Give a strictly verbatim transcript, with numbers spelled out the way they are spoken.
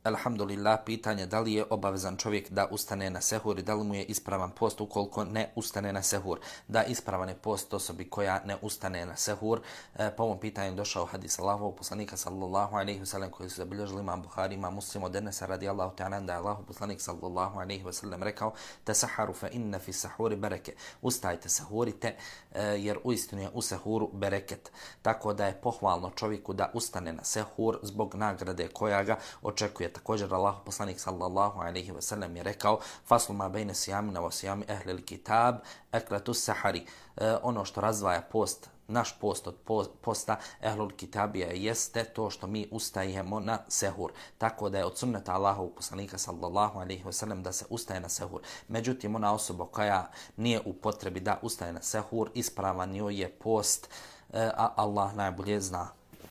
Alhamdulillah, pitanje da li je obavezan čovjek da ustane na sehur i da li mu je ispravan post ukoliko ne ustane na sehur. Da, ispravan je post osobi koja ne ustane na sehur. E, po ovom pitanju došao hadis Allahovog poslanika sallallahu alejhi ve sellem koji su zabilježili imam Buhari, imam Muslim od Enesa radijallahu ta'ala da je Allahov poslanik sallallahu alejhi ve sellem rekao: "Tasaharu fa inna fi sahuri bereke." Ustajte, sahurite, e, jer uistinu je u sehuru bereket. Tako da je pohvalno čovjeku da ustane na sehur zbog nagrade koja ga očekuje. Također Allah poslanik sallallahu alejhi ve sellem je rekao: "Faslu ma bejne sijamina wa sijami ehlil kitab eklatu sahari." E, ono što razdvaja post, naš post od posta ehlul kitabija jeste to što mi ustajemo na sehur. Tako da je od sunneta Allahovog poslanika sallallahu alejhi ve sellem da se ustaje na sehur. Međutim, ona osoba koja nije u potrebi da ustaje na sehur, ispravan joj je post, e, a Allah najbolje zna.